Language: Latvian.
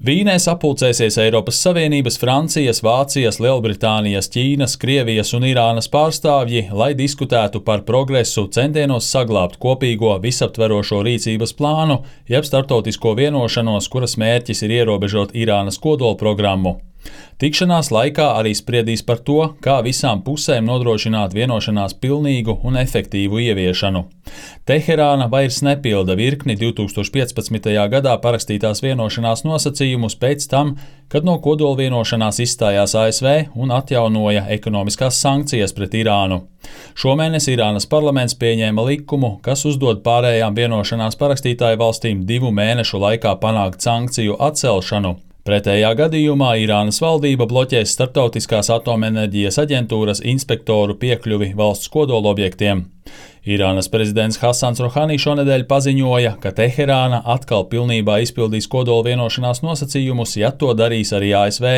Vīnē sapulcēsies Eiropas Savienības, Francijas, Vācijas, Lielbritānijas, Ķīnas, Krievijas un Irānas pārstāvji, lai diskutētu par progresu centienos saglabāt kopīgo visaptverošo rīcības plānu, jeb starptautisko vienošanos, kuras mērķis ir ierobežot Irānas kodolprogrammu. Tikšanās laikā arī spriedīs par to, kā visām pusēm nodrošināt vienošanās pilnīgu un efektīvu ieviešanu. Teherāna vairs nepilda virkni 2015. gadā parakstītās vienošanās nosacījumus pēc tam, kad no kodolvienošanās izstājās ASV un atjaunoja ekonomiskās sankcijas pret Irānu. Šomēnes Irānas parlaments pieņēma likumu, kas uzdod pārējām vienošanās parakstītāju valstīm 2 mēnešu laikā panākt sankciju atcelšanu. Pretējā gadījumā Irānas valdība bloķēs Starptautiskās atomenerģijas aģentūras inspektoru piekļuvi valsts kodolobjektiem. Irānas prezidents Hasans Rohani šonedēļ paziņoja, ka Teherāna atkal pilnībā izpildīs kodolvienošanās nosacījumus, ja to darīs arī ASV.